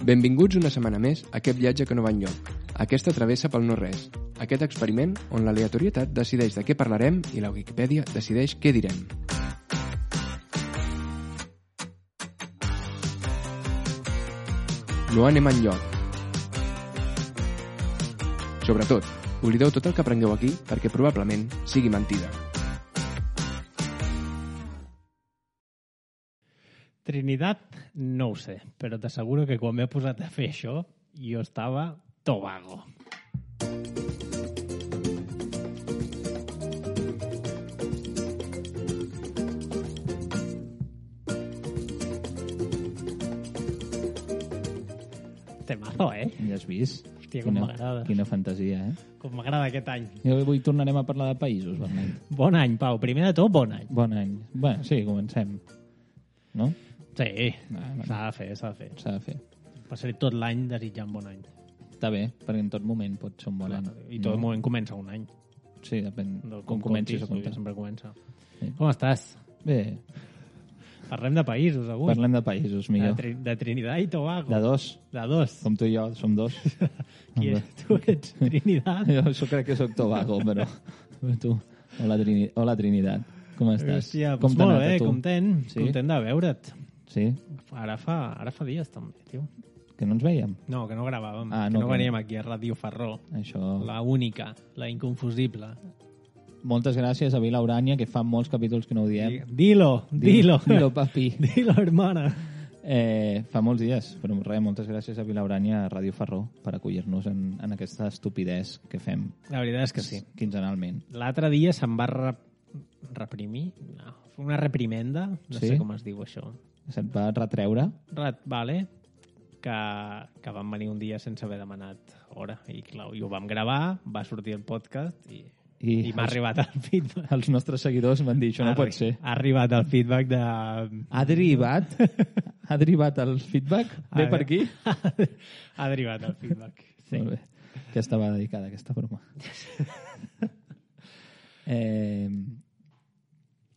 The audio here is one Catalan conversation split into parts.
Benvinguts una setmana més a aquest viatge que no va enlloc, aquesta travessa pel no-res, aquest experiment on l'aleatorietat decideix de què parlarem i la Wikipedia decideix què direm. No anem enlloc. Sobretot, oblideu tot el que aprengueu aquí perquè probablement sigui mentida. Trinidad, no ho sé, però t'asseguro que quan m'he posat a fer això, jo estava Tobago. Temazo, Ja has vist? Hòstia, com m'agrada. Quina fantasia, Com m'agrada aquest any. I avui tornarem a parlar de països, Bernat. Bon any, Pau. Primer de tot, bon any. Bon any. Bé, sí, comencem. No? Sí, Bueno. s'ha de fer. S'ha de fer. Passaré tot l'any desitjant bon any. Està bé, perquè en tot moment pot ser un bon any. I tot moment comença un any. Sí, depèn No, com comencis a comptis, comptar. sempre comença. Sí. Com estàs? Bé, Parlem de països avui. parlem de països, millor. De Trinidad i Tobago. De dos, De dos. com tu i jo, som dos. Qui és? Tu ets Trinidad? Jo crec que sóc Tobago, però tu... Hola, Trinidad. Com estàs? Hòstia, com doncs t'ha molt anat a bé, tu? content. Sí? Content de veure't. Sí? Ara fa dies també, tio. Que no ens veiem? No, que no gravàvem. Ah, que no, no que veníem no. aquí a Ràdio Ferró. Això... La única, la inconfusible. Moltes gràcies a Vila Urània, que fa molts capítols que no ho diem. Dilo. Dilo, papi. Dilo, hermana. Fa molts dies, però res, moltes gràcies a Vila Urània, a Ràdio Ferró, per acollir-nos en aquesta estupidesa que fem La veritat és que sí. quinzenalment. L'altre dia se'm va reprimir. No, una reprimenda. No Sí? sé com es diu això. Se't va retreure? Vale. Que vam venir un dia sense haver demanat hora. I clar, i ho vam gravar, va sortir el podcast i m'ha arribat el feedback. Els nostres seguidors m'han dit, això no pot ser. Ha arribat el feedback de... Ha derivat? Ha derivat el feedback? Ve per aquí? Ha derivat el feedback. Sí. Molt bé. Ja estava dedicada aquesta broma.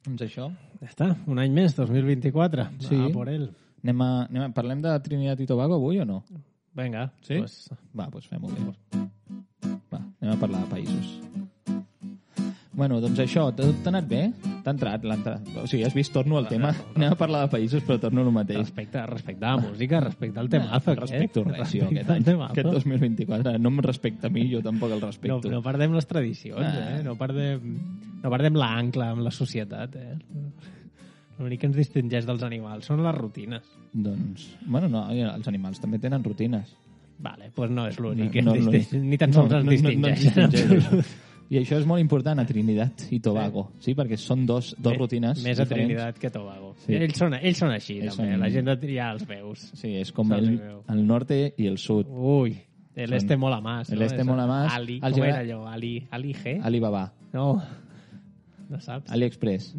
Doncs això. Ja està, un any més, 2024. Sí. Va por él. Parlem de Trinidad i Tobago avui o no? Vinga, Sí? Pues, Va, doncs fem-ho bé. Va, anem a parlar de països. Bueno, doncs això, t'ha anat bé? T'ha entrat l'entrada? O sigui, has vist, torno al tema. Anem a parlar de països, però torno al mateix. respecte a la música, respecte al temazo. Respecto res, jo, aquest Respecte al any. temazo. Aquest 2024. No em respecta a mi, jo tampoc el respecto. No perdem les tradicions, no perdem l'ancle amb la societat, L'únic que ens distingeix dels animals són les rutines. Doncs, bueno, no, els animals també tenen rutines. Vale, doncs no és l'únic que No, ens no, distingeix, ni tan sols ens distingeix. distingeix. I això és molt important a Trinidad i Tobago, sí, perquè són dos rutines Més a diferents. Trinidad que a Tobago. Sí. Ells són així, Ells també. són- La gent de triar els veus. Sí, és com Se'ls el veu. norte i el sud. Ui, el este mola más. El ¿no? este mola más. Ali, Els ¿cómo agrada- era yo? Ali G? Alibaba, No, no saps? AliExpress,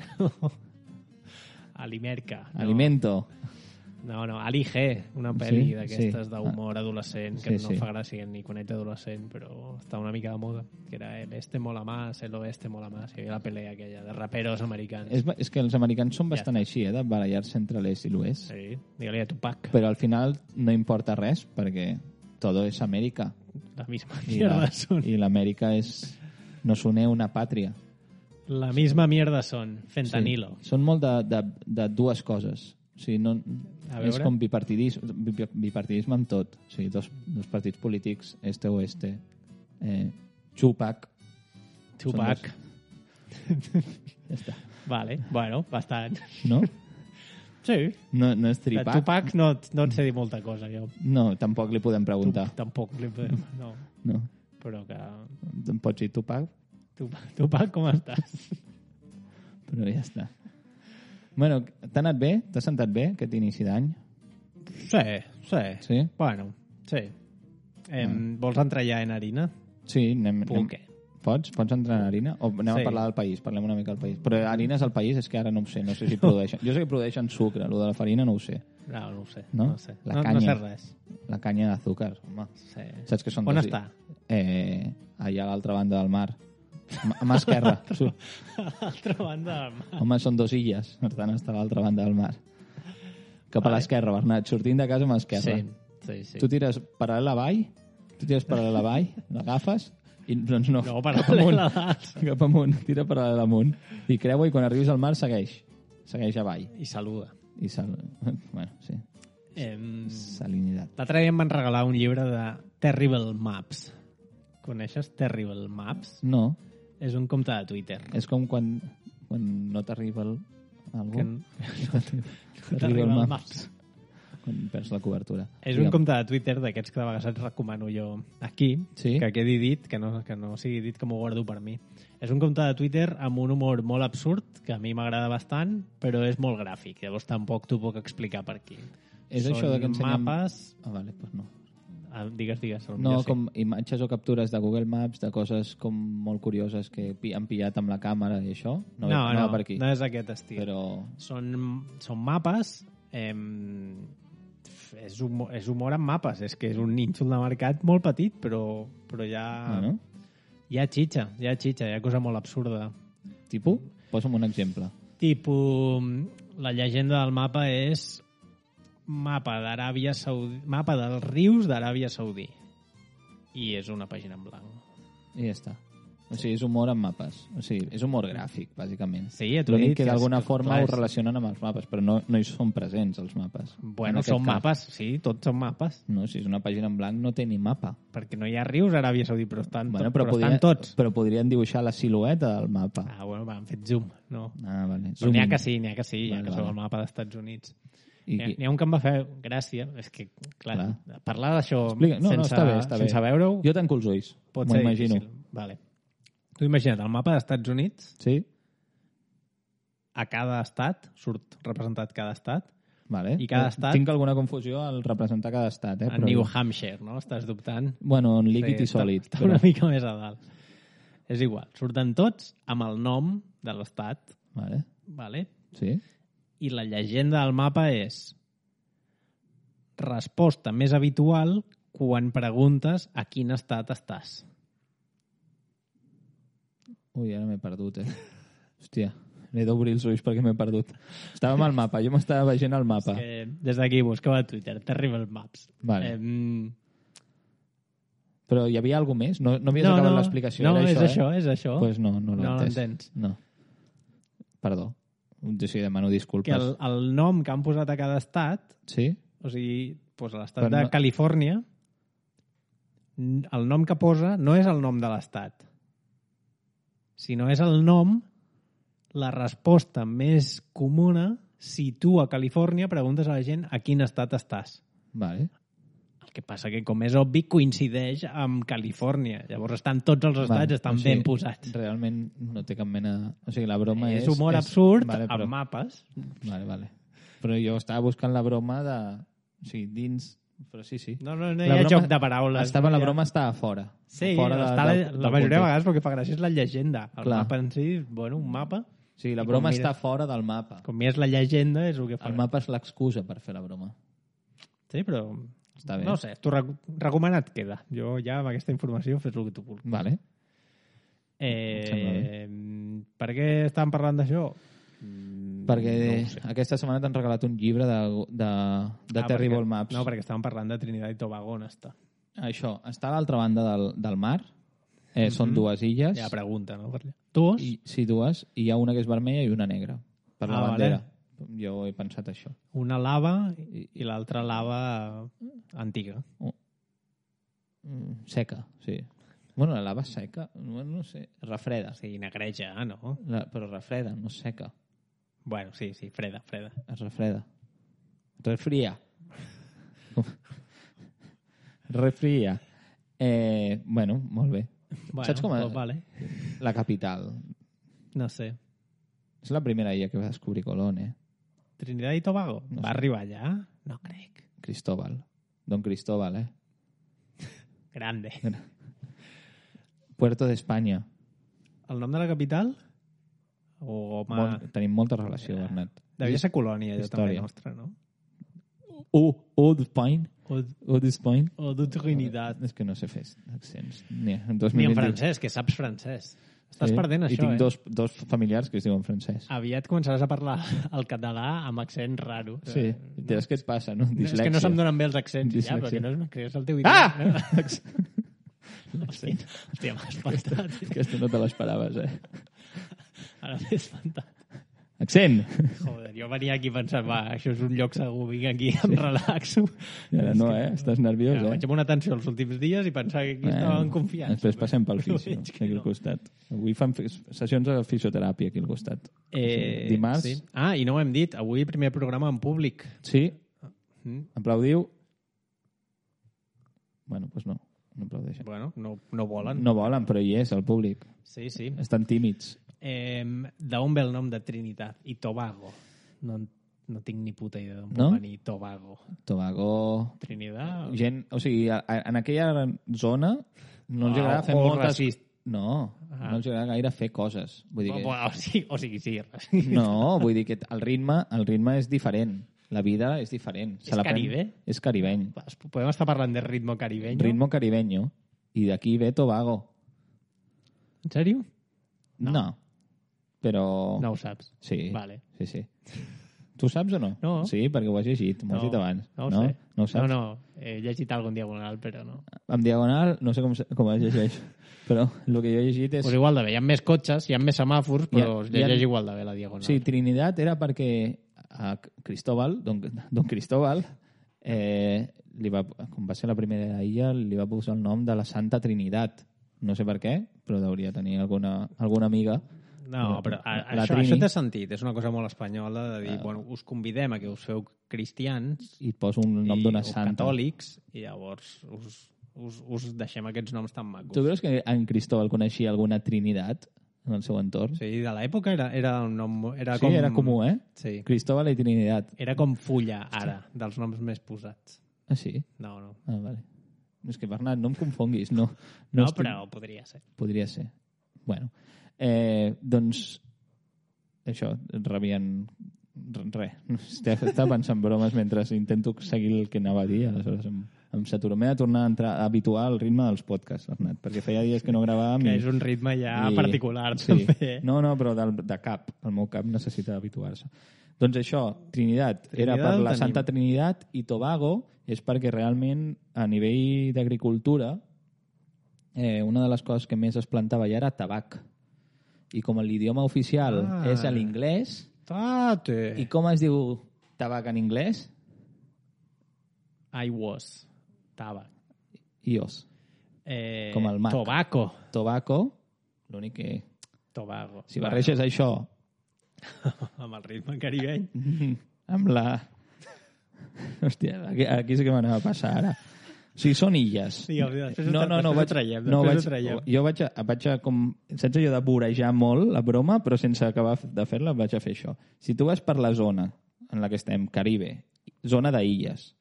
Alimerca. No. Alimento. No, Ali G, una pel·li Sí? d'aquestes Sí. d'humor adolescent, Sí, que no sí. fa gràcia ni quan ets adolescent, però està una mica de moda, que era el este mola más, el oeste mola más, i hi havia la pelea aquella de raperos americans. És que els americans són bastant està. així, de barallar-se entre l'est i l'oest. Sí, digue-li a Tupac, Però al final no importa res, perquè todo és Amèrica. la misma I mierda son. I l'Amèrica nos une una pàtria. La misma mierda son, fentanilo. Sí. Són molt de dues coses. O sigui, no, A és veure. com bipartidisme amb tot. O sigui, dos partits polítics, este-oeste. Tupac. Tupac. Ja està. Vale, bueno, bastant. No? Sí. No és De tripac? Tupac no et sé dir molta cosa, jo. No, tampoc li podem preguntar. Tampoc li podem... No, No. però que... Em pots dir Tupac? Tupac, com estàs? Però ja està. Bueno, t'ha anat bé? T'ha sentat bé aquest inici d'any? Sí. Sí? Bueno, sí. Vols entrar ja en harina? Sí, anem... Puc, Pots entrar en harina? O anem Sí. a parlar del país? Parlem una mica del país. Però harina és el país? És que ara no ho sé. No sé si produeixen... Jo sé que produeixen sucre. Lo de la farina no ho sé. No ho sé. No? No sé. La No canya. sé res. La canya d'azúcar, home. Sí. Saps que són On dos... està? Allà a l'altra banda del mar. A mà esquerra. A l'altra banda del mar. Home, són dos illes. Per tant, està a l'altra banda del mar. Cap a l'esquerra, Bernat. Sortint de casa a mà esquerra. Sí. Sí. Tu tires paral·lel a vall, l'agafes i doncs no. No, paral·lel a dalt. Cap amunt, tira paral·lel amunt i creua i quan arribis al mar segueix avall. I saluda. Bueno, sí. Salinitat. L'altre dia em van regalar un llibre de Terrible Maps. Coneixes Terrible Maps? No. És un compte de Twitter. És com quan no t'arriba algú. No t'arriba el Maps. Quan perds la cobertura. És un compte de Twitter d'aquests que de vegades et recomano jo aquí, sí? que quedi dit, que no sigui dit que m'ho guardo per mi. És un compte de Twitter amb un humor molt absurd, que a mi m'agrada bastant, però és molt gràfic. Llavors tampoc t'ho puc explicar per aquí. És això de que ensenyem... mapes... vale, doncs no. Digues. No, com imatges o captures de Google Maps, de coses com molt curioses que han pillat amb la càmera i això. No va per aquí. No és aquest estil. Però... Són mapes... És humor amb mapes. És que és un nínxol de mercat molt petit, però ja... Bueno. Hi ha xitxa, hi ha cosa molt absurda. Tipo? Posa'm un exemple. La llegenda del mapa és mapa dels rius d'Aràbia Saudí. I és una pàgina en blanc. I ja està. O sigui, és humor amb mapes. O sigui, és humor gràfic, bàsicament. Sí, t'ho he dit. Que d'alguna forma ho relacionen amb els mapes, però no hi són presents, els mapes. Bueno, són mapes, sí, tots són mapes. No, si és una pàgina en blanc no té ni mapa. Perquè no hi ha rius a Aràbia Saudí, però estan tots. Però podrien dibuixar la silueta del mapa. Bueno, han fet zoom, no? Vale. N'hi ha que sí, vale, que són el mapa dels Estats Units. N'hi ha un que em va fer gràcia, és que, clar. Parlar d'això sense veure-ho... Jo tanco els ulls, m'ho imagino. Vale. Tu imagina't, el mapa dels Estats Units, sí? A cada estat, surt representat cada estat, vale. I cada estat... Tinc alguna confusió al representar cada estat. En New Hampshire, no? Estàs dubtant? Bueno, en líquid i sòlid. Està una mica més a dalt. És igual, surten tots amb el nom de l'estat. Vale? Sí. I la llegenda del mapa és resposta més habitual quan preguntes a quin estat estàs. Ui, ara m'he perdut, Hòstia, he d'obrir els ulls perquè m'he perdut. Estàvem al mapa, jo m'estava veient al mapa. Des d'aquí busqueu a Twitter, Terrible Maps. Vale. Però hi havia alguna més? No havies acabat l'explicació? No, és això. Pues no l'entens. No. Perdó. Sí, demano disculpes. Que el nom que han posat a cada estat, sí? O sigui, doncs l'estat de Califòrnia, el nom que posa no és el nom de l'estat. Si no és el nom, la resposta més comuna, si tu a Califòrnia preguntes a la gent a quin estat estàs. Vale. El que passa que, com és obvi, coincideix amb Califòrnia. Llavors tots els estats estan ben posats. Realment no té cap mena... O sigui, la broma és... És humor absurd amb mapes. Vale. Però jo estava buscant la broma de... O sigui, dins... Però sí. No hi ha joc de paraules. La broma estava fora. Sí, la majoria de vegades perquè fa gràcia és la llegenda. El mapa en si, bueno, un mapa. Sí, la broma està fora del mapa. Com és la llegenda, és el que fa. El mapa és l'excusa per fer la broma. Sí, però... Està bé. No sé, tu recomanat queda. Jo ja amb aquesta informació fes el que tu vulguis. Vale. Per què estàvem parlant d'això? Perquè aquesta setmana t'han regalat un llibre de Terrible Maps. No, perquè estàvem parlant de Trinidad i Tobago, on està? Això, està a l'altra banda del mar. Són dues illes. Hi ha pregunta, no? Dues? Sí, dues. I hi ha una que és vermella i una negra. Per la bandera. Vale. Jo he pensat això. Una lava i l'altra lava antiga. Seca, sí. Bueno, la lava seca, no sé, refreda. Sí, negreja, no? Però refreda, no seca. Bueno, sí, freda. Es refreda. Refria. Refria. Bueno, molt bé. Bueno, saps com és? Vale. La capital. No sé. És la primera illa que va descobrir Colón, Trinidad i Tobago? No va arribar allà? No crec. Cristóbal. Don Cristóbal, Grande. Puerto de España. El nom de la capital? Tenim molta relació, Bernat. Devia ser colònia, allò també nostra, no? Eau d'Espagne. Eau d'Espagne. O de Trinidad. És que no sé fer accents. Ni en francès, que saps francès. Estàs perdent I això, tinc dos familiars que es diuen Francesc. Aviat començaràs a parlar el català amb accent raro. Sí, és que et passa, no? És que no se'm donen bé els accents, ja, perquè no és el teu Ah! idioma. Hòstia, m'ha espantat. Aquesta no te l'esperaves, Ara m'he espantat. Accent! Joder, jo venia aquí pensant, va, això és un lloc segur, vinc aquí, em relaxo. I ara no, Estàs nerviós, Vaig amb una tensió els últims dies i pensava que aquí estava en confiança. Després passem pel fisio, Veig que aquí al costat. Avui fan sessions de fisioteràpia aquí al costat. Dimarts. Sí. Ah, i no ho hem dit, avui primer programa en públic. Sí. Aplaudiu. Bueno, doncs no aplaudeixen. Bueno, no volen. No volen, però hi és, el públic. Sí, sí. Estan tímids. D'on ve el nom de Trinitat i Tobago? No tinc ni puta idea d'on No? pot venir Tobago. Tobago... Trinidad? Gent, o sigui, en aquella zona no els agrada fer molt moltes... racista. No els agrada gaire fer coses. Vull dir que... O sigui, sí. No, vull dir que el ritme és diferent. La vida és diferent. És Caribe? És caribeny. Podem estar parlant de ritmo caribeño? Ritmo caribeño. I d'aquí ve Tobago. En sèrio? No. Però... No ho saps. Sí. Vale. Sí. Tu saps o no? No. Sí, perquè ho has llegit. M'ho has dit abans. No ho sé. No ho saps? No, he llegit algun diagonal, però no. En diagonal, no sé com es llegeix, però el que jo he llegit és... Pues igual de bé, hi ha més cotxes, hi ha més semàfors, però es llegeix igual de bé la diagonal. Sí, Trinidad era perquè a Cristóbal, don Cristóbal, com va ser la primera illa, li va posar el nom de la Santa Trinitat. No sé per què, però hauria tenir alguna amiga. No, però això té sentit. És una cosa molt espanyola de dir, bueno, us convidem a que us feu cristians i et poso un nom d'una santa. O catòlics, i llavors us deixem aquests noms tan macos. Tu creus que en Cristóbal coneixia alguna Trinitat en el seu entorn? Sí, de l'època era un nom... Era comú, Sí. Cristóbal i Trinitat. Era com fulla, ara, dels noms més posats. Ah, sí? No. Ah, vale. És que, Bernat, no em confonguis. No, però podria ser. Podria ser. Bueno, doncs això, rebien res. Estava pensant bromes mentre intento seguir el que anava a dir, aleshores em saturo. M'he de tornar a habituar al ritme dels podcasts, Bernat, perquè feia dies que no gravàvem. Que és un ritme ja particular, sí. també. No, però de cap. El meu cap necessita habituar-se. Doncs això, Trinidad era per la Santa Trinitat i Tobago és perquè realment a nivell d'agricultura una de les coses que més es plantava ja era tabac. I com l'idioma oficial és l'inglès, i com es diu tabac en anglès? I was. Tabac. Ios. Com el Mac. Tobacco. L'únic que... Tobago. Si barreges això... amb el ritme caribeny. Amb la... Hòstia, aquí sí que m'anava a passar ara. O sigui, són illes. Sí, no, jo vaig a com... Saps allò de vorejar molt la broma, però sense acabar de fer-la vaig a fer això. Si tu vas per la zona en la que estem, Caribe, zona d'illes,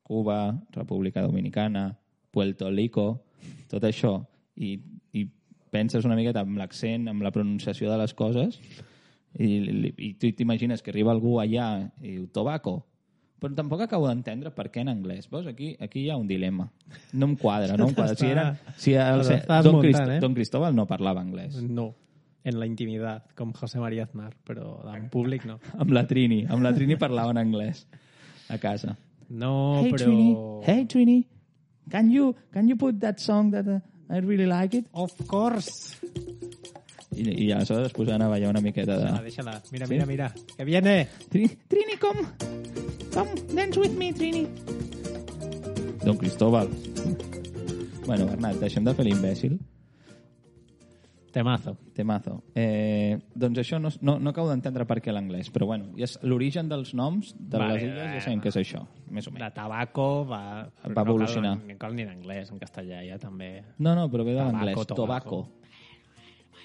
Cuba, República Dominicana, Puerto Rico, tot això, i penses una miqueta amb l'accent, amb la pronunciació de les coses, i tu t'imagines que arriba algú allà i diu Tobacco, però tampoc acabo d'entendre per què en anglès. Veus? Aquí hi ha un dilema. No em quadra. Don Cristóbal no parlava anglès. No, en la intimitat, com José María Aznar, però en públic no. Amb la Trini parlava en anglès a casa. No, hey, però... Hey Trini, can you put that song that I really like it? Of course. I aleshores es posaven a ballar una miqueta de... Deixa-la. Mira. Que viene. Trini, come, dance with me, Trini. Don Cristóbal. Bueno, Bernat, deixem de fer l'imbècil. Temazo. Doncs això no acabo d'entendre per què l'anglès, però bueno, l'origen dels noms de les illes ja sabem què és això, més o menys. De tabaco va evolucionar. No cal ni en anglès, en castellà ja també. No, però ve de l'anglès. Tobacco.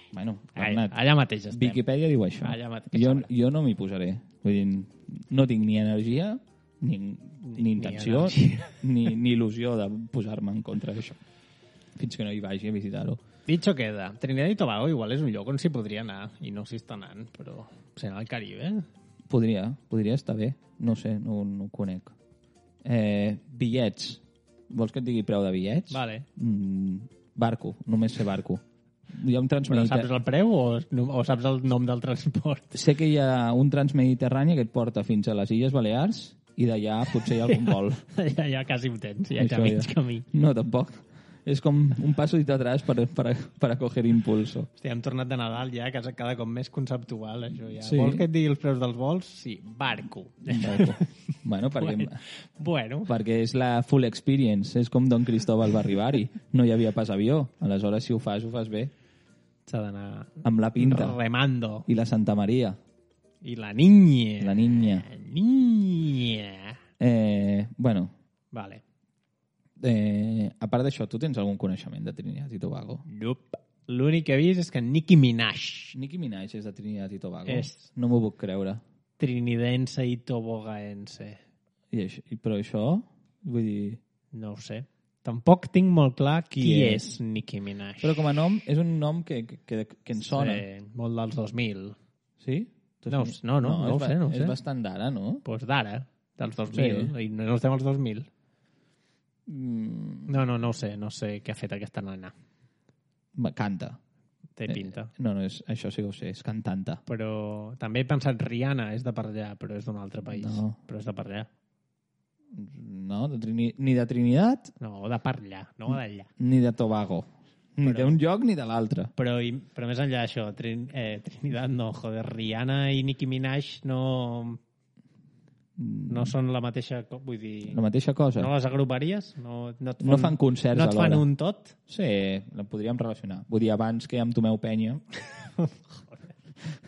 Bueno, Bernat, allà mateix estem. Wikipedia diu això. Jo no m'hi posaré. Vull dir, no tinc ni energia, ni intenció, ni il·lusió de posar-me en contra d'això. Fins que no hi vagi a visitar-ho. Dicho queda. Trinidad i Tobago igual és un lloc on s'hi podria anar, i no s'hi està anant, però ser al Caribe. Podria estar bé. No sé, no ho conec. Bitllets. Vols que et digui preu de bitllets? Vale. Barco, només sé barco. Hi ha un Però saps el preu o saps el nom del transport? Sé que hi ha un transmediterrani que et porta fins a les Illes Balears i d'allà potser hi ha algun vol. Ja quasi ho tens, ja mig camí. No, tampoc. És com un pasito atrás para coger impulso. Hòstia, hem tornat de Nadal ja, que és cada cop més conceptual, això ja. Sí. Vols que et digui els preus dels vols? Sí, barco. Bueno, Bueno. perquè és la full experience. És com Don Cristóbal va arribar-hi. No hi havia pas avió. Aleshores, si ho fas bé. S'ha d'anar... Amb la pinta. Remando. I la Santa Maria. I la niña. La niña. Niña. Bueno. Vale. A part d'això, tu tens algun coneixement de Trinidad i Tobago? Nope. L'únic que he vist és que Nicki Minaj Nicki Minaj és de Trinidad i Tobago? És. No m'ho puc creure. Trinidense i tobogaense. Però això, vull dir... No ho sé. Tampoc tinc molt clar qui és Nicki Minaj. Però com a nom, és un nom que ens sona. Sí, molt dels 2000. Sí? No ho sé. És bastant d'ara, no? Doncs pues d'ara, dels 2000. Sí. I no estem als 2000. No ho sé. No sé què ha fet aquesta nana. Canta. Té pinta. No, això sí que ho sé, és cantanta. Però també he pensat Rihanna és de per allà, però és d'un altre país. No. Però és de per allà. No, ni de Trinidad? No, de per allà, no d'allà. Ni de Tobago. Ni d'un lloc ni de l'altre. Però més enllà d'això, Trinidad no, joder, Rihanna i Nicki Minaj no són la mateixa... Vull dir... La mateixa cosa? No les agruparies? No fan concerts alhora. No et fan un tot? Sí, la podríem relacionar. Vull dir, abans que amb Tomeu Penya...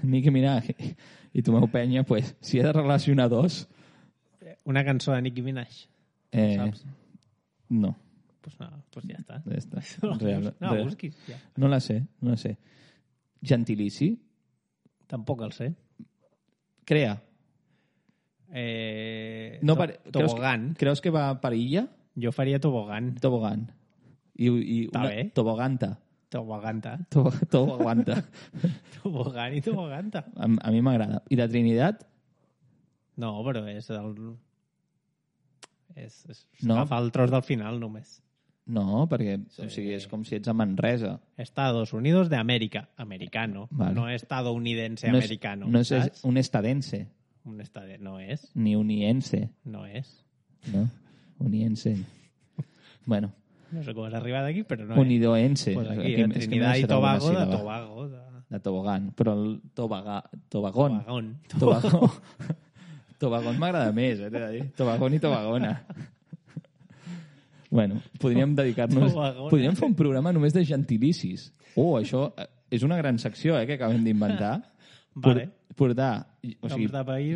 Nicki Minaj i Tomeu Penya, pues, si he de relacionar dos... Una cançó de Nicki Minaj, saps? No. Pues ja està. Ja està. No, busquis. Ja. No la sé. Gentilici? Tampoc el sé. Crea. Tobogán. Creus que va per illa? Jo faria tobogán. Tobogán. I una toboganta. Toboganta. Toboganta. Tobogán i toboganta. A mi m'agrada. I de Trinidad? No, però és el... No. Agafa el tros del final només. No, perquè o sigui, és com si ets a Manresa. Estados Unidos de América. Americano. Vale. No estadounidense americano. No és un estadense. No és. Ni uniense. No és. No, uniense. Bueno. No sé com has arribat aquí, però no Unidoense. Pues aquí, Trinidad i Tobago, de Tobago. De Tobogán. Però el Tobagón. Tobagón. Tobagón m'agrada més, t'he de dir. Tobagón i Tobagona. Bueno, podríem dedicar-nos... Podríem fer un programa només de gentilicis. Això és una gran secció, que acabem d'inventar. Vale. Portar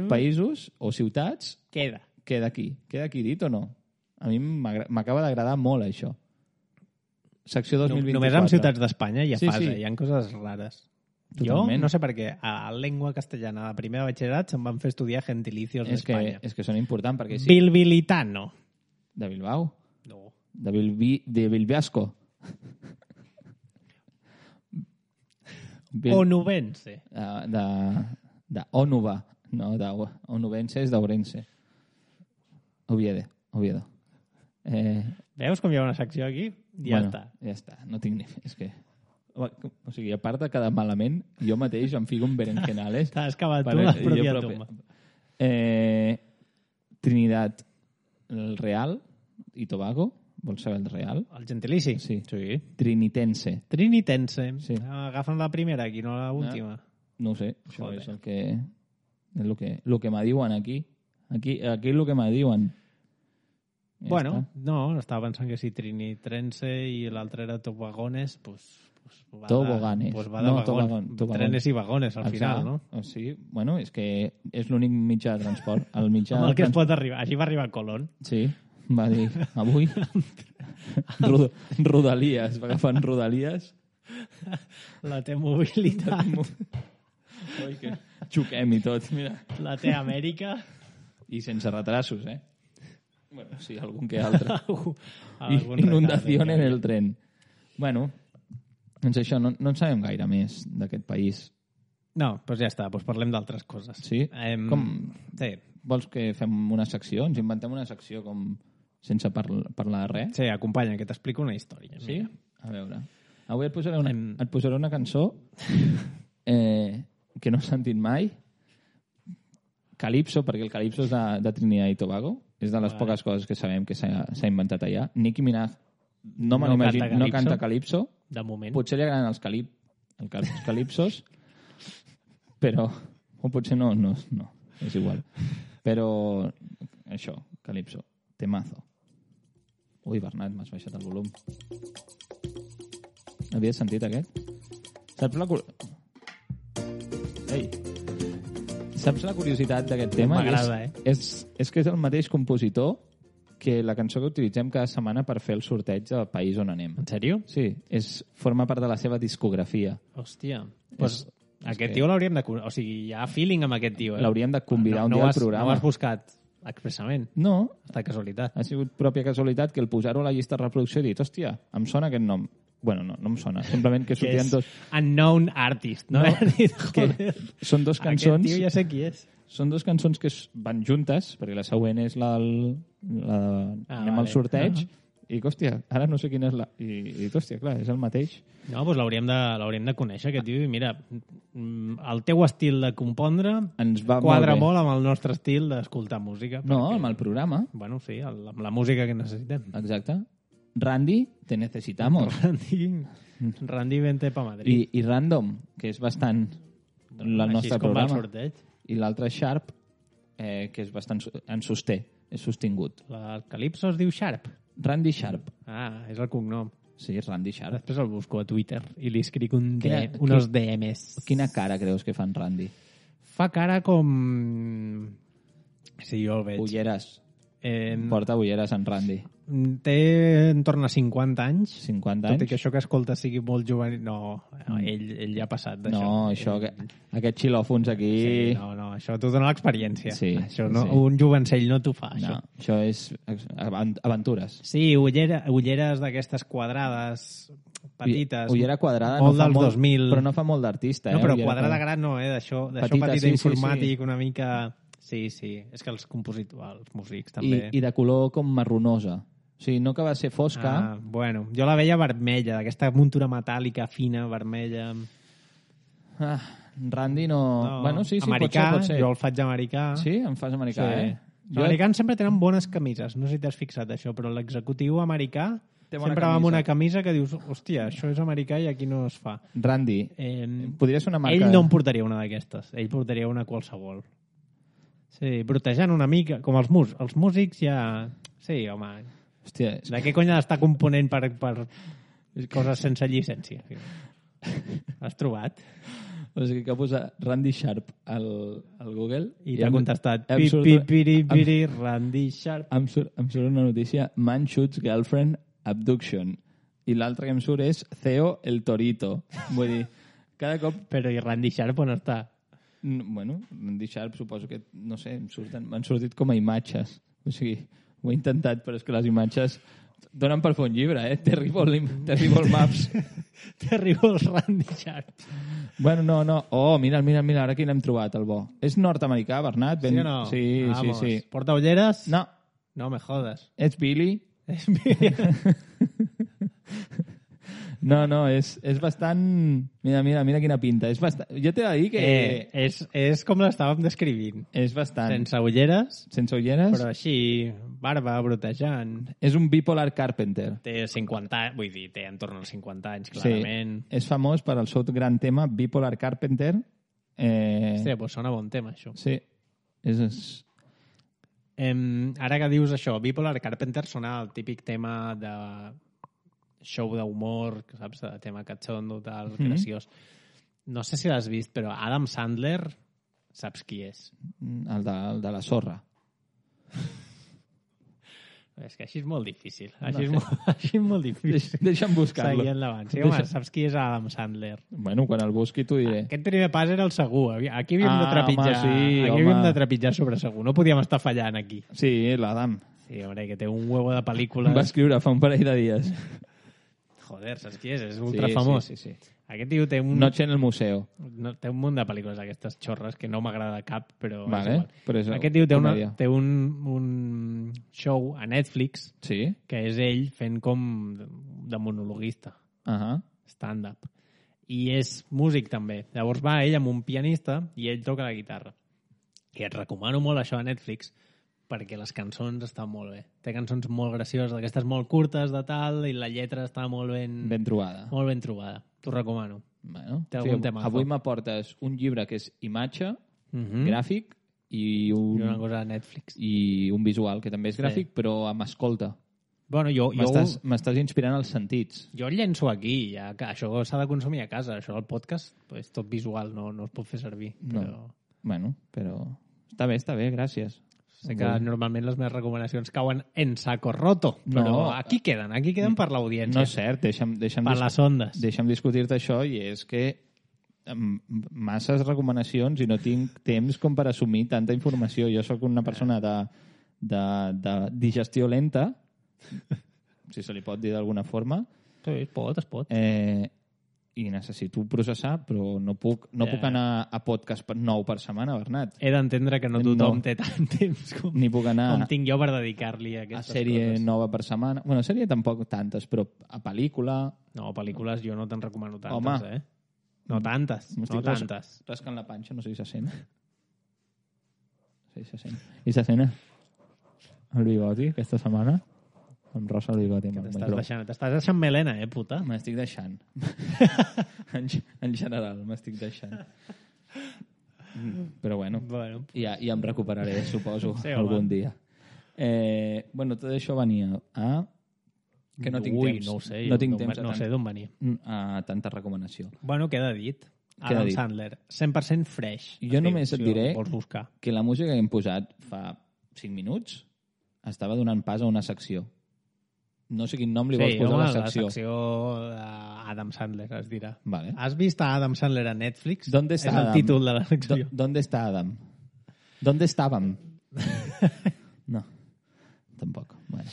països o ciutats... Queda aquí dit o no? A mi m'acaba d'agradar molt, això. Secció 2024. Només amb ciutats d'Espanya hi ha coses rares. Totalment. Jo no sé per què a lengua castellana de primer de batxillerat se'm van fer estudiar gentilicios d'Espanya. És que són importants perquè sí. Bilbilitano. De Bilbao? No. De Bilbiasco. Onubense. De Onuba. No, de Onubense és d'Ourense. Oviedo. Veus com hi ha una secció aquí? Ja està. No tinc ni... És que... O sigui, a part de quedar malament, jo mateix em fico un berenjenales. T'has cavat tu la pròpia tomba. Trinidad, el Real i Tobago. Vols saber el Real? El gentilici? Sí. Trinitense. Sí. Agafen la primera aquí, no l'última. No ho sé. Això és el que... És el que me diuen aquí. Aquí és el que me diuen. Bueno, no, estava pensant que si Trinitrense i l'altre era Tobagones, Toboganes. Va de vagón. Trenes i vagones, al final, no? Sí, bueno, és que és l'únic mitjà de transport. Amb el que es pot arribar. Així va arribar Colón. Sí, va dir, avui Rodalies, va agafant Rodalies. La té mobilitat. Oi, que xoquem i tot, mira. La té Amèrica. I sense retrasos, Bueno, sí, algun que altre. Inundació en el tren. Bueno, doncs això, no en sabem gaire més d'aquest país. No, doncs ja està, doncs parlem d'altres coses. Sí? Sí. Vols que fem una secció? Ens inventem una secció com sense parlar de res? Sí, acompanya, que t'explico una història. Sí? A veure. Avui et posaré una cançó que no he sentit mai. Calypso, perquè el Calypso és de Trinidad i Tobago. És de les poques coses que sabem que s'ha inventat allà. Nicki Minaj no canta Calypso. De moment. Potser li agraden els Calypsos, però... O potser no, és igual. Però això, Calypso, temazo. Ui, Bernat, m'has baixat el volum. Havies sentit aquest? Saps la curiositat d'aquest tema? M'agrada, És que és el mateix compositor que la cançó que utilitzem cada setmana per fer el sorteig del país on anem. En sèrio? Sí, forma part de la seva discografia. Hòstia. Pues aquest tio l'hauríem de... O sigui, hi ha feeling amb aquest tio. L'hauríem de convidar un dia al programa. No ho has buscat expressament? No. Està casualitat. Ha sigut pròpia casualitat que el posar-ho a la llista de reproducció he dit, hòstia, em sona aquest nom. Bueno, no em sona. Simplement que sortien dos... Unknown artist, no? Són dos cançons... Aquest tio ja sé qui és. Són dos cançons que van juntes, perquè la següent és anem al sorteig, i, hòstia, ara no sé quina és la... I hòstia, clar, és el mateix. No, doncs l'hauríem de conèixer, aquest tio, i mira, el teu estil de compondre quadra molt amb el nostre estil d'escoltar música. No, amb el programa. Bueno, sí, amb la música que necessitem. Exacte. Randy, te necesitamos. Randy, vente pa Madrid. I Random, que és bastant el nostre programa. Així com va el sorteig. I l'altre Sharp, que és bastant en sosté, és sostingut. El Calypso es diu Sharp? Randy Sharp. Ah, és el cognom. Sí, és Randy Sharp. Després el busco a Twitter i li escric unos DMs. Quina cara creus que fa en Randy? Fa cara com... Sí, jo el veig. Ulleres. Porta ulleres en Randy. Té en torn a 50 anys. 50 anys? Tot i que això que escolta sigui molt jove... No, ell ja ha passat d'això. No, això, aquests xilòfons aquí... Sí, no, això t'ho dona l'experiència. Sí, això no, sí. Un jovencell no t'ho fa, això. No, això és aventures. Sí, ulleres d'aquestes quadrades petites. Ullera quadrada molt dels 2000. Però no fa molt d'artista. No, però quadrada gran no, d'això petit informàtic, una mica... Sí, és que els músics també... I de color com marronosa. O sigui, no que va ser fosca... Bueno, jo la veia vermella, d'aquesta muntura metàl·lica fina, vermella... Randy no... Bueno, sí, americà, pot ser. Jo el faig americà. Sí? Em fas americà, sí. Els americans sempre tenen bones camises, no sé si t'has fixat això, però l'executiu americà sempre va amb una camisa que dius, hòstia, això és americà i aquí no es fa. Randy, podria ser una marca... Ell no em portaria una d'aquestes, ell portaria una qualsevol. Sí, brotejant una mica, com els músics ja... Sí, home, hòstia, de què cony està component per coses sense llicència? Has trobat? O sigui que posa Randy Sharp al Google i t'ha contestat piri, Randy Sharp. Em surt una notícia, Man shoots girlfriend abduction, i l'altre que em surt és Theo el Torito. Vull dir, cada cop... Però i Randy Sharp on està? Bueno, Randy Sharp suposo que, no sé, m'han sortit com a imatges. O sigui, ho he intentat, però és que les imatges donen per fer un llibre, Terrible Maps. Terrible Randy Sharp. Bueno, no. Oh, mira, ara aquí l'hem trobat, el bo. És nord-americà, Bernat? Sí o no? Sí. Porta ulleres? No. No me jodes. És Billy? És Billy. No, és bastant... Mira quina pinta. És bastant... Jo t'he de dir que... És com l'estàvem descrivint. És bastant... Sense ulleres. Però així, barba, brotejant. És un bipolar carpenter. Té 50 anys, vull dir, té entorn als 50 anys, clarament. Sí, és famós per al seu gran tema, Bipolar Carpenter. Hòstia, doncs sona bon tema, això. Sí. Ara que dius això, Bipolar Carpenter sona el típic tema de... show d'humor, saps? De tema catxondo, tal, graciós. No sé si l'has vist, però Adam Sandler, saps qui és? El de la sorra. És que així és molt difícil. Així és molt difícil. Deixa'm buscar-lo. Seguir endavant. Sí, home, saps qui és Adam Sandler? Bueno, quan el busqui t'ho diré. Aquest primer pas era el segur. Aquí havíem de trepitjar. Havíem de trepitjar sobre segur. No podíem estar fallant aquí. Sí, l'Adam. Sí, home, que té un huevo de pel·lícules. Va escriure fa un parell de dies. Joder, saps qui és? És ultra famós. Sí. Aquest tio té un... Noche en el museo. Té un munt de pel·lícules d'aquestes xorres que no m'agrada cap, però... Vale, però és aquest tio té un show a Netflix que és ell fent com de monologuista. stand-up. I és músic també. Llavors va ell amb un pianista i ell toca la guitarra. I et recomano molt això a Netflix perquè les cançons estan molt bé. Té cançons molt gracioses, d'aquestes molt curtes de tal, i la lletra està molt ben trobada. Molt ben trobada. T'ho recomano. Bueno, té algun tema. Avui m'aportes un llibre que és imatge, gràfic, i una cosa a Netflix. I un visual, que també és gràfic, però amb escolta. Bueno, m'estàs inspirant els sentits. Jo el llenço aquí, ja que això s'ha de consumir a casa. Això del podcast és tot visual, no es pot fer servir. Però... No. Bueno, però està bé, gràcies. Sé que normalment les meves recomanacions cauen en saco roto, però aquí queden per l'audiència. No és cert, deixa'm per les ondes. Deixa'm discutir-te això, i és que masses recomanacions i no tinc temps com per assumir tanta informació. Jo sóc una persona de digestió lenta, si se li pot dir d'alguna forma. Sí, es pot. I necessito processar, però no puc anar a podcast nou per setmana, Bernat. He d'entendre que no tothom té tant temps com tinc jo per dedicar-li a aquestes sèrie coses. Nova per setmana. Bueno, sèrie tampoc tantes, però a pel·lícula... No, a pel·lícules jo no te'n recomano tantes, Home. No tantes, tantes. Rascant la panxa, no sé si se sent. Sí, se sent. I se sent el bigoti aquesta setmana? Em rosa el bigoti. T'estàs deixant melena, puta? M'estic deixant. En general, m'estic deixant. Però bueno, ja em recuperaré, suposo, algun dia. Tot això venia a... Que no tinc temps. No ho sé. No tinc temps. No sé d'on venia. A tanta recomanació. Bueno, queda dit. Adam Sandler. 100% fresh. Jo només et diré que la música que hem posat fa 5 minuts estava donant pas a una secció. No sé quin nom li vols posar a la secció. La secció d'Adam Sandler, es dirà. Vale. Has vist a Adam Sandler a Netflix? ¿Dónde está Adam? És el títol de la secció. ¿Dónde está Adam? ¿Dónde estàvem? No, tampoc. Bueno.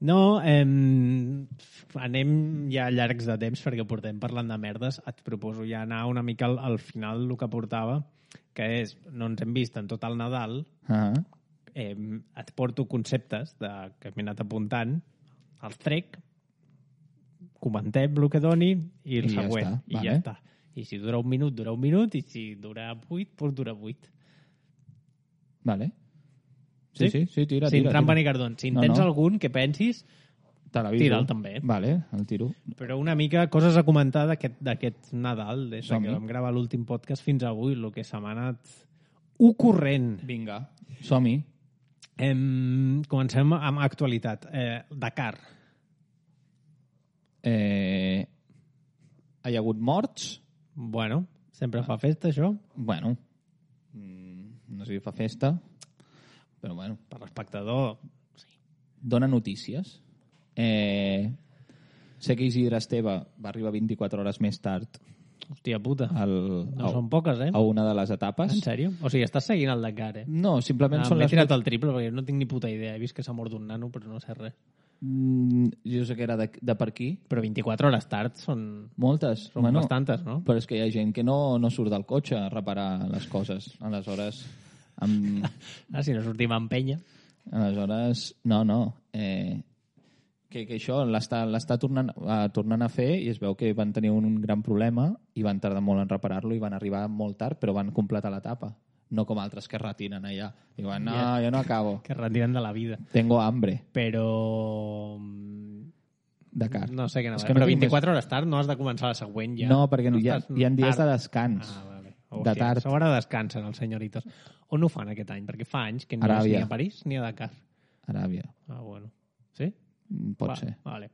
No, anem ja llargs de temps perquè portem parlant de merdes. Et proposo ja anar una mica al final el que portava, que és, no ens hem vist en tot el Nadal, et porto conceptes que m'he anat apuntant, els trec, comentem el que doni i el següent. I ja està. I si dura un minut, i si dura 8, doncs dura 8. Vale. Sí, tira. Sin trampa ni cardón. Si en tens algun que pensis, tira'l també. Vale, el tiro. Però una mica coses a comentar d'aquest Nadal, des que vam gravar l'últim podcast fins avui, el que se m'ha anat ocorrent. Vinga, som-hi. Comencem amb actualitat. Dakar. Hi ha hagut morts? Bueno, sempre fa festa, això. Bueno, no sé si fa festa, però bueno. Per l'espectador, sí. Dona notícies. Sé que Isidre Esteve va arribar 24 hores més tard. Hòstia puta, no són poques, a una de les etapes. En sèrio? O sigui, estàs seguint el Dakar, No, simplement són les... M'he tirat el triple perquè no tinc ni puta idea. He vist que s'ha mort un nano, però no sé res. Jo sé que era de per aquí. Però 24 hores tard són... Moltes. Són bastantes, no? Però és que hi ha gent que no surt del cotxe a reparar les coses. Aleshores... si no sortim amb penya. Aleshores, no. Que això l'està tornant a fer i es veu que van tenir un gran problema i van tardar molt en reparar-lo i van arribar molt tard, però van completar l'etapa. No com altres que retiren allà. Diuen, no, jo no acabo. Que retiren de la vida. Tengo hambre. Però... Dakar. No sé què anava. Però 24 hores tard no has de començar la següent ja. No, perquè hi ha dies de descans. Vale. De tard. A sobre descansen els senyoritos. On ho fan aquest any? Perquè fa anys que no és ni a París ni a Dakar. Aràbia. Bueno. Sí? Pot ser. Vale.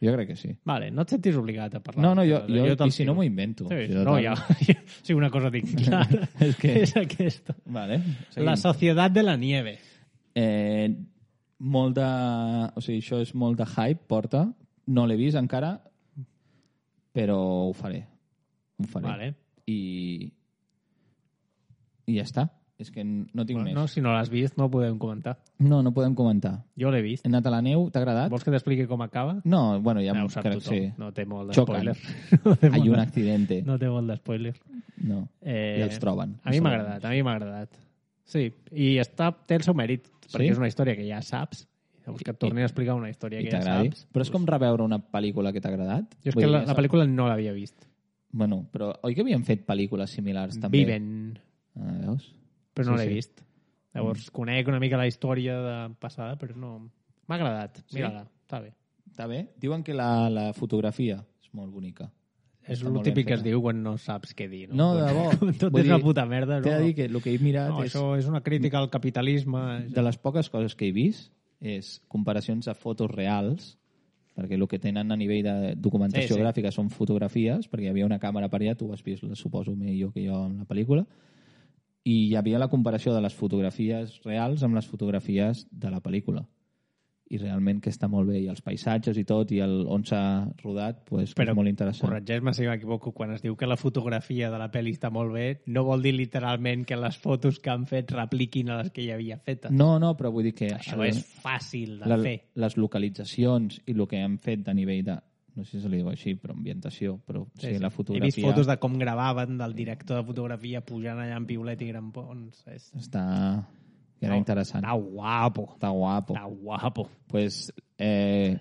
Jo crec que sí. Vale, no et sentis obligat a parlar. No, jo i si no m'ho invento. Sí, no, ja. Sí, una cosa tinc clara. És aquesta. Vale. La Societat de la Nieve. Molt de... O sigui, això és molt de hype, porta. No l'he vist encara, però ho faré. Vale. I ja està. És que no tinc més. No, si no l'has vist no ho podem comentar. No podem comentar. Jo l'he vist. He anat a la neu, t'ha agradat? Vols que t'expliqui com acaba? No, bueno, ja ho sap tothom. Sí. No té molt de spoiler. Hay un accidente. No té molt de spoiler. No, i els troben. A mi m'ha agradat. Sí, i té el seu mèrit, perquè és una història que ja saps, Llavors que et torni a explicar una història que ja saps. Però és com reveure una pel·lícula que t'ha agradat? Jo és que la pel·lícula no l'havia vist. Bueno, però oi que havien fet pel·lícules similars també? Viven. Veus? Però no l'he vist. Llavors conec una mica la història passada, però no... M'ha agradat. Mira-la, està bé. Està bé? Diuen que la fotografia és molt bonica. És el típic que es diu quan no saps què dir. No, de bo. Tot és una puta merda. T'he de dir que el que he mirat és... Això és una crítica al capitalisme. De les poques coses que he vist és comparacions de fotos reals, perquè el que tenen a nivell de documentació gràfica són fotografies, perquè hi havia una càmera per allà, tu ho has vist, suposo, millor que jo en la pel·lícula, i hi havia la comparació de les fotografies reals amb les fotografies de la pel·lícula. I realment que està molt bé, i els paisatges i tot, i on s'ha rodat, pues, és molt interessant. Corregeix-me si m'equivoco, quan es diu que la fotografia de la pel·li està molt bé, no vol dir literalment que les fotos que han fet repliquin a les que hi havia fetes. No, però vull dir que... Això és fàcil de fer. Les localitzacions i el que han fet a nivell de... No sé si se li diu així, però ambientació, però sí, la fotografia... He vist fotos de com gravaven del director de fotografia pujant allà en piulet i grampons. Està... Era interessant. Està guapo. Està guapo. Pues,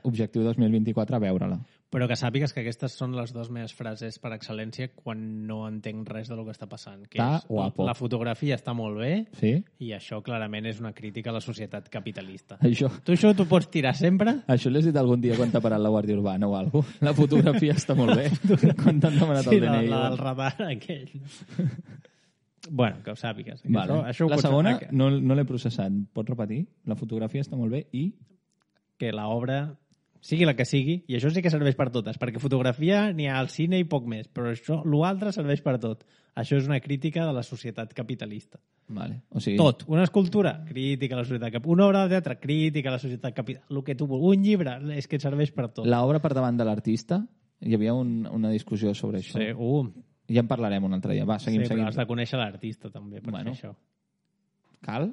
objectiu 2024, veure-la. Però que sàpigues que aquestes són les dues meves frases per excel·lència quan no entenc res del que està passant. Que està guapo. La fotografia està molt bé, sí? I això clarament és una crítica a la societat capitalista. Això... Tu això t'ho pots tirar sempre? Això l'has dit algun dia quan t'ha parat la Guàrdia Urbana o alguna cosa. La fotografia està molt bé. Quan t'han demanat el DNI. Sí, el radar aquell. Bueno, que ho sàpigues. Vale. Això la segona no l'he processat. Pots repetir? La fotografia està molt bé i... Que l'obra, sigui la que sigui, i això sí que serveix per totes, perquè fotografia n'hi ha al cine i poc més, però l'altre serveix per tot. Això és una crítica de la societat capitalista. Vale. O sigui... Tot. Una escultura, crítica a la societat capitalista. Una obra de teatre, crítica a la societat capitalista. El que tu vulguis. Un llibre, és que serveix per tot. L'obra per davant de l'artista, hi havia una discussió sobre això. Sí, ja en parlarem un altre dia. Va, seguim. Però has de conèixer l'artista, també, per fer això. Cal?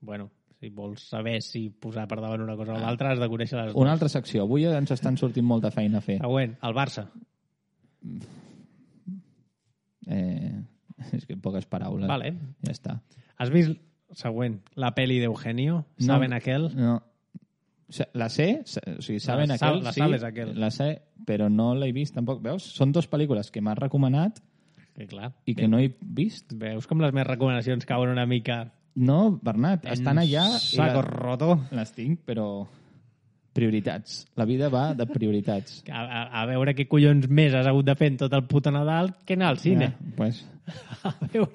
Bueno, si vols saber si posar per davant una cosa o l'altra, has de conèixer les dues. Una altra secció. Avui ens estan sortint molta feina a fer. Següent, el Barça. És que poques paraules. Vale. Ja està. Has vist, següent, la peli d'Eugenio? ¿Saben aquel? No. La sé, o sigui, saben aquel, la sabes aquel. La sé, però no l'he vist tampoc. Veus? Són dues pel·lícules que m'has recomanat i que no he vist. Veus com les meves recomanacions cauen una mica... No, Bernat, estan allà... Saco roto. Les tinc, però... Prioritats. La vida va de prioritats. A veure què collons més has hagut de fer en tot el puto Nadal que anar al cine. Pues... A veure,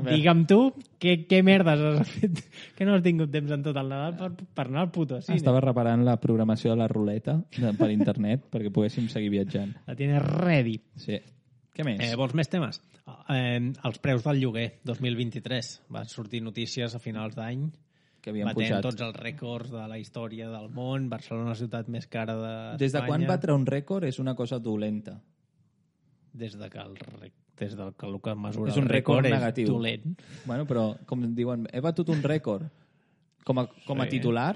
digue'm tu què merdes has fet que no has tingut temps en tot el Nadal per anar al puto cine. Estava reparant la programació de la ruleta per internet perquè poguéssim seguir viatjant. La tienes ready. Sí. Què més? Vols més temes? Els preus del lloguer 2023. Van sortir notícies a finals d'any que havien batent pujat tots els rècords de la història del món. Barcelona, la ciutat més cara d'Espanya. Des de quan batre un rècord és una cosa dolenta? Des de que el que mesura és un rècord negatiu. És dolent. Bueno, però, com diuen, he batut un rècord com a titular.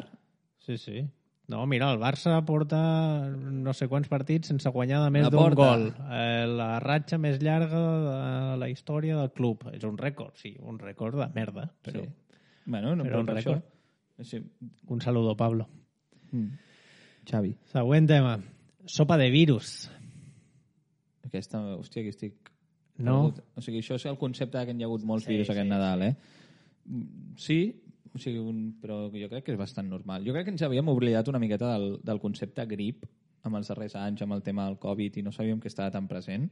Sí, sí. No, mira, el Barça porta no sé quants partits sense guanyar de més d'un gol. La ratxa més llarga de la història del club. És un rècord, sí, un rècord de merda. Però, sí. Bueno, no, però un rècord. Sí. Un saludo, Pablo. Xavi. Següent tema. Sopa de virus. Aquesta, hòstia, que estic... No. O sigui, això és el concepte que hi ha hagut molts virus aquest Nadal, Sí, o sigui, però jo crec que és bastant normal. Jo crec que ens havíem oblidat una miqueta del concepte grip amb els darrers anys, amb el tema del Covid, i no sabíem que estava tan present.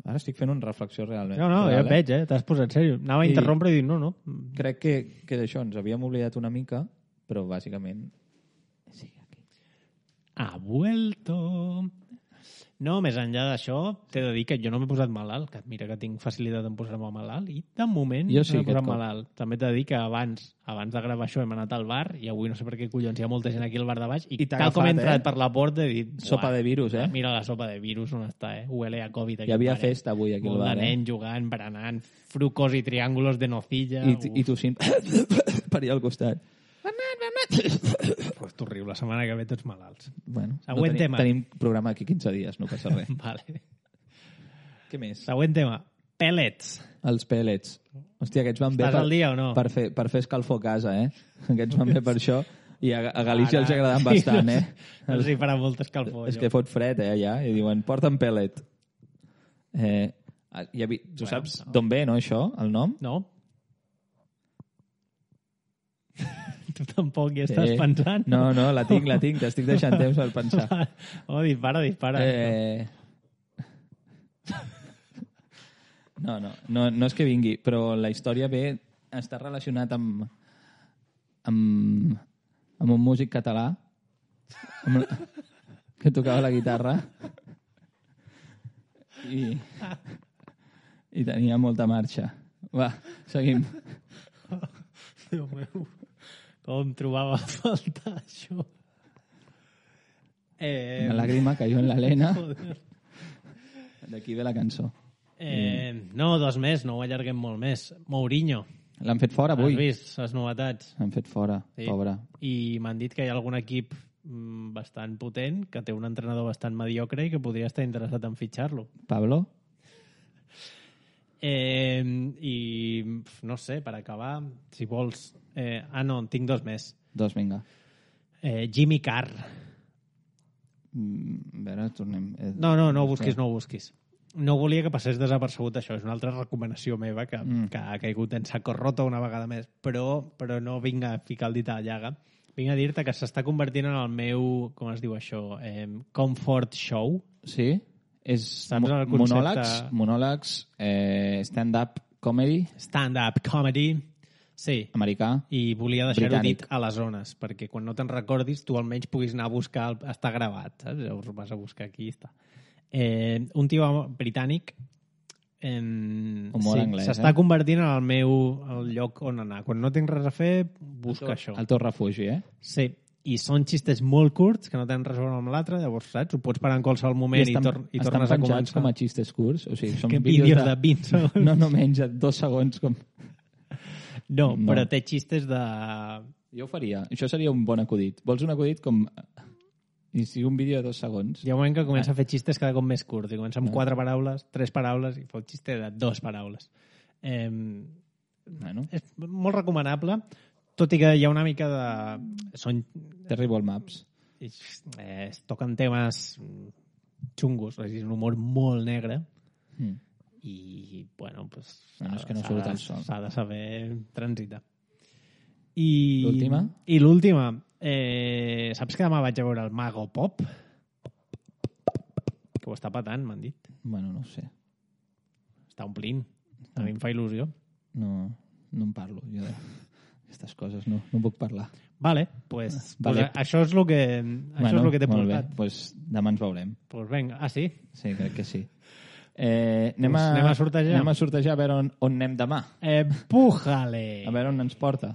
Ara estic fent una reflexió realment. No, ja et veig, t'has posat sèrio. Anava a interrompre i dir no. Crec que d'això ens havíem oblidat una mica, però bàsicament... Sí, aquí. Ha vuelto... No, més enllà d'això, t'he de dir que jo no m'he posat malalt, que mira que tinc facilitat en posar-me malalt, i de moment jo sí, no m'he posat malalt. També t'he de dir que abans de gravar això hem anat al bar, i avui no sé per què collons hi ha molta gent aquí al bar de baix, i tal com he entrat per la porta he dit... Sopa de virus, Mira la sopa de virus on està, Huele a Covid. Hi havia festa avui aquí al bar, Molt de nen jugant, berenant, frucos i triàngulos de nocilla... I tossint per allà al costat. Pues tu riu, la setmana que ve tots malalts. Bueno, següent tema. Tenim programa aquí 15 dies, no passa res. Vale. Què més? Següent tema. Pellets. Els pellets. Hòstia, aquests van bé al dia o no? per fer escalfor a casa, Aquests van bé per això. I a Galícia els agraden bastant, eh? Els hi farà molt escalfor. És que fot fred, allà, i diuen, porta'm pellet. Tu saps d'on ve, no, això, el nom? No. Tu tampoc hi estàs pensant? No, la tinc, t'estic deixant temps per pensar. Dispara. No és que vingui, però la història està relacionat amb un músic català que tocava la guitarra i tenia molta marxa. Va, seguim. Déu meu, com trobava a faltar això? Una làgrima cayó en la lena. D'aquí ve la cançó. No, 2 més, no ho allarguem molt més. Mourinho. L'han fet fora avui. Has vist les novetats? L'han fet fora, sí. Pobre. I m'han dit que hi ha algun equip bastant potent, que té un entrenador bastant mediocre i que podria estar interessat en fitxar-lo. Pablo? I no sé, per acabar, si vols... no, en tinc 2 més. 2, vinga. Jimmy Carr. A veure, tornem... No ho busquis. No volia que passés desapercebut això. És una altra recomanació meva que ha caigut en saco roto una vegada més. Però no vinc a ficar el dit a la llaga. Vinc a dir-te que s'està convertint en el meu, com es diu això, comfort show. Sí? És monòlegs, stand-up comedy. Stand-up comedy, sí. Americà. I volia deixar-ho dit a les zones, perquè quan no te'n recordis tu almenys puguis anar a buscar, està gravat, saps? Llavors vas a buscar aquí i està. Un tio britànic anglès, s'està convertint en el lloc on anar. Quan no tinc res a fer, busca això. El teu refugi, eh? Sí. I són xistes molt curts, que no tenen res a veure amb l'altre, llavors, saps? Ho pots parar en qualsevol moment i tornes a començar. Estan penjats com a xistes curts? O sigui, són vídeos de 20 segons. No menys de 2 segons. No, però té xistes de... Jo ho faria. Això seria un bon acudit. Vols un acudit com... I sigui un vídeo de 2 segons. Hi ha un moment que comença a fer xistes cada cop més curts. I comença amb 4 paraules, 3 paraules, i fa un xiste de 2 paraules. És molt recomanable, tot i que hi ha una mica de... Terrible Maps. Es toquen temes xungos, és un humor molt negre, i, bueno, pues... És que no surt el sol. S'ha de saber transitar. L'última? I l'última... saps que demà vaig a veure el Mago Pop? Que ho està patant, m'han dit. Bueno, no ho sé. Està omplint. A mi em fa il·lusió. No en parlo. Jo d'aquestes coses no puc parlar. Vale, pues això és el que t'he portat. Molt bé, pues demà ens veurem. Pues venga, sí? Sí, crec que sí. Anem a sortejar. Anem a sortejar a veure on anem demà. Pújale! A veure on ens porta.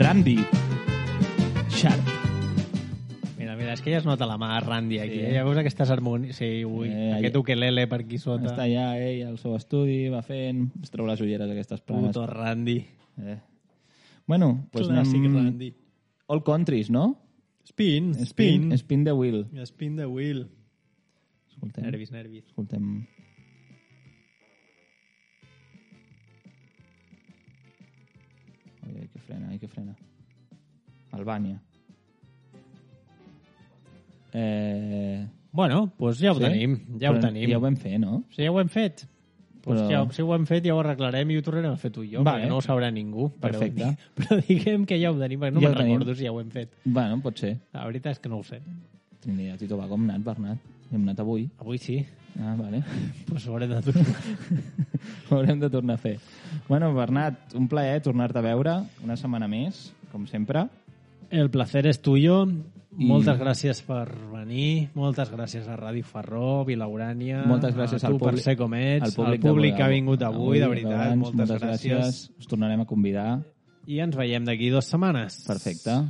Randy Sharp. Mira, és que ja es nota la mà Randy aquí. Sí. Ja veus aquestes harmonies. Sí, aquest ukelele per aquí sota. Està allà ell al seu estudi, va fent, es treu les ulleres aquestes planes. Puto Randy. Bueno, pues clàssic Randy. All countries, no? Spin the wheel. Spin the wheel. Escoltem. Nervis. Escoltem. Ai, que frena. Albània. Bueno, pues ja ho tenim. Ja ho tenim. Ja ho vam fer, no? Sí, ja ho hem fet. Pues si ho hem fet, ja ho arreglarem i ho tornarem a fer tu i jo, perquè no ho sabrà ningú. Perfecte. Però diguem que ja ho tenim, perquè no me'n recordo si ja ho hem fet. Bueno, pot ser. La veritat és que no ho sé. Trinidad i Tobago hem anat, Bernat. Hem anat avui. Avui sí. Ah, vale. Pues ho haurem de tornar. Ho haurem de tornar a fer. Bueno, Bernat, un plaer tornar-te a veure una setmana més, com sempre. El placer és tuyo. Moltes gràcies per venir. Moltes gràcies a Ràdio Farró, Vilaurània. Moltes gràcies a tu per ser com ets. Al públic que ha vingut avui, de veritat. Moltes gràcies. Us tornarem a convidar. I ens veiem d'aquí 2 setmanes. Perfecte.